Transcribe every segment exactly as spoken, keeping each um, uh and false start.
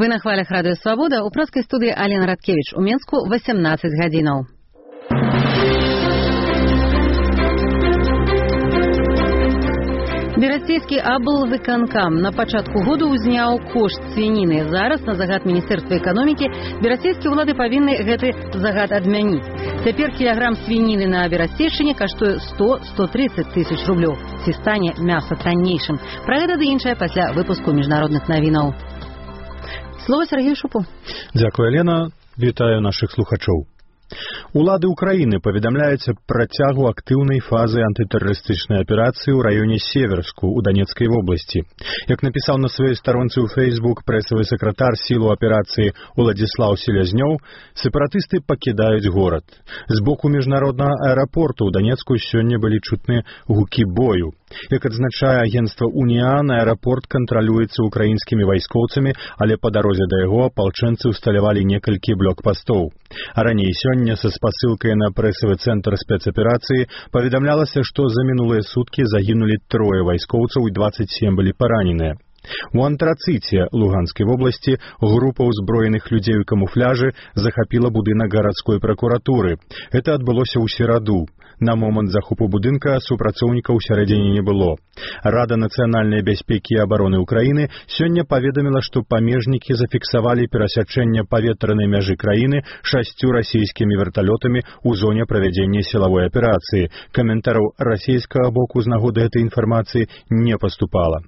Вы на хвалях Радыё Свабода, у праскай студыі Алена Радкевіч, у Менску восемнадцать гадзінаў. Берасцейскі аблвыканкам на пачатку году ўзняў кошт свініны. Зараз, на загад Міністэрства эканомікі, берасцейскія ўлады павінны гэты загад адмяніць. Цяпер кілаграм свініны на Берасцейшчыне каштуе сто - сто тридцать тысяч рублёў. Ці стане мяса таннейшым? Пра гэта ды іншае пасля выпуску міжнародных навінаў. Слово Сергею Шупу. Дзякуй, Алена. Вітаю нашых слухачоў. Улады Украіны паведамляюць аб працягу актыўнай фазы антытэрарыстычнай аперацыі ў раёне Северску ў Данецкай вобласці. Як напісаў на сваёй старонцы ў Facebook прэсавы сакратар сілу аперацыі Уладзіслаў Селязнёў, сепаратысты пакідаюць горад. З боку міжнароднага аэрапорту ў Данецку сёння былі чутны гукі бою. Як адзначае агенцтва «Уніан», аэрапорт кантралюецца украінскімі вайскоўцамі, але па дарозе да яго апалчэнцы ўсталявалі некалькі блокпастоў. А раней сёння са спасылкай на прэсавы цэнтр спецаперацыі паведамлялася, што за мінулыя суткі загінулі трое вайскоўцаў і дваццаць сем былі параненыя. У Антрацыце Луганскай вобласці група ўзброеных людзей у камуфляжы захапіла будынак гарадской пракуратуры. Гэта адбылося ў сераду. На момант захопу будынка супрацоўнікаў усярэдзіне не было. Рада нацыянальнай бяспекі і абароны Украіны сёння паведаміла, што памежнікі зафіксавалі перасячэнне паветранай мяжы краіны шасцю расійскімі верталётамі ў зоне правядзення сілавой аперацыі. Каментараў расійскага боку з нагоды гэтай інфармацыі не паступала.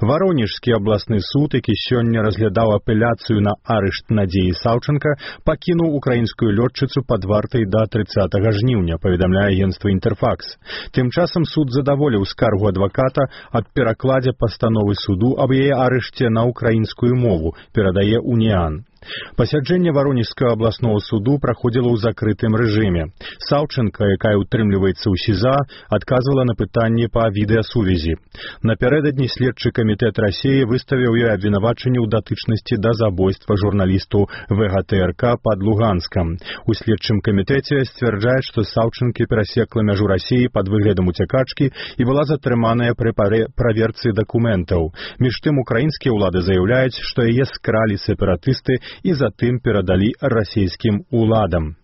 Варонежскі абласны суд, які сёння разглядаў апеляцыю на арышт Надзеі Саўчанка, пакінуў украінскую лётчыцу пад вартай да трыццатага жніўня, паведамляе агенцтва «Інтэрфакс». Тым часам суд задаволіў скаргу адваката аб перакладзе пастановы суду аб яе арышце на украінскую мову, перадае «Уніан». Пасяджэнне Варонежскага абласнога суду праходзіла ў закрытым рэжыме. Саўчанка, якая ўтрымліваецца ў СІЗА, адказвала на пытанні па відэасувязі. Напярэдадні следчы камітэт Расіі выставіў ёй абвінавачанне ў датычнасці да забойства журналісту ВГТРК пад Луганскам. У следчым камітэце сцвярджаюць, што Саўчанкі перасекла мяжу Расіі пад выглядам уцякачкі і была затрыманая пры праверцы дакументаў. Між тым украінскія ўлады заяўляюць, што яе скралі сепаратысты і затым перадалі расійскім уладам.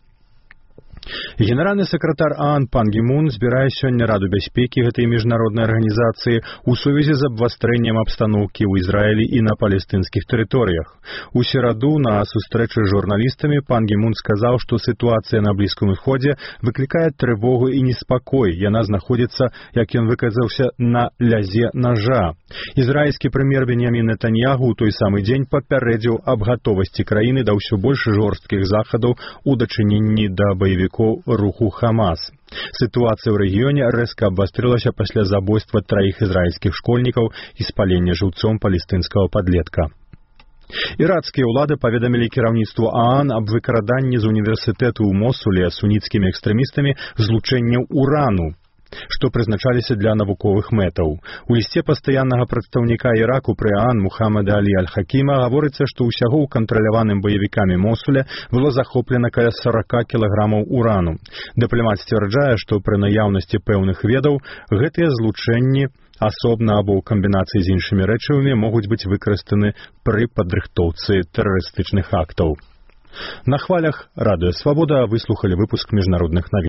Генеральны сакратар ААН Пан Гі Мун збірае сёння Раду бяспекі гэтай міжнароднай арганізацыі ў сувязі з абвастрэннем абстаноўкі ў Ізраілі і на палестынскіх тэрыторыях. У сераду на сустрэчы з журналістамі Пан Гі Мун сказаў, што сітуацыя на Блізкім Усходзе выклікае трывогу і неспакой. Яна знаходзіцца, як ён выказаўся, на лязе нажа. Ізраільскі прэм'ер Беньямін Нетаньягу ў той самы дзень папярэдзіў аб гатовасці краіны да ўсё больш жорсткіх захадаў у дачыненні да баевікоў руху Хамас. Сітуацыя ў рэгіёне рэзка абвастрылася пасля забойства траіх ізраільскіх школьнікаў і спалення жыўцом палестынскага падлетка. Іракскія ўлады паведамілі кіраўніцтву ААН аб выкраданні з універсітэту ў Мосуле суніцкімі экстрэмістамі злучэнняў урану, што прызначаліся для навуковых мэтаў. У лісце пастаяннага прадстаўніка Іраку пры ААН Мухаммада Алі Аль-Хакіма гаворыцца, што ўсяго ў кантраляваным баевікамі Мосуля было захоплена каля сорок кілаграмаў урану. Дыпламат сцвярджае, што пры наяўнасці пэўных ведаў гэтыя злучэнні асобна або ў камбінацыі з іншымі рэчывамі могуць быць выкарыстаны пры падрыхтоўцы тэрарыстычных актаў. На хвалях Радыё Свабода выслухалі выпуск міжнародных навін.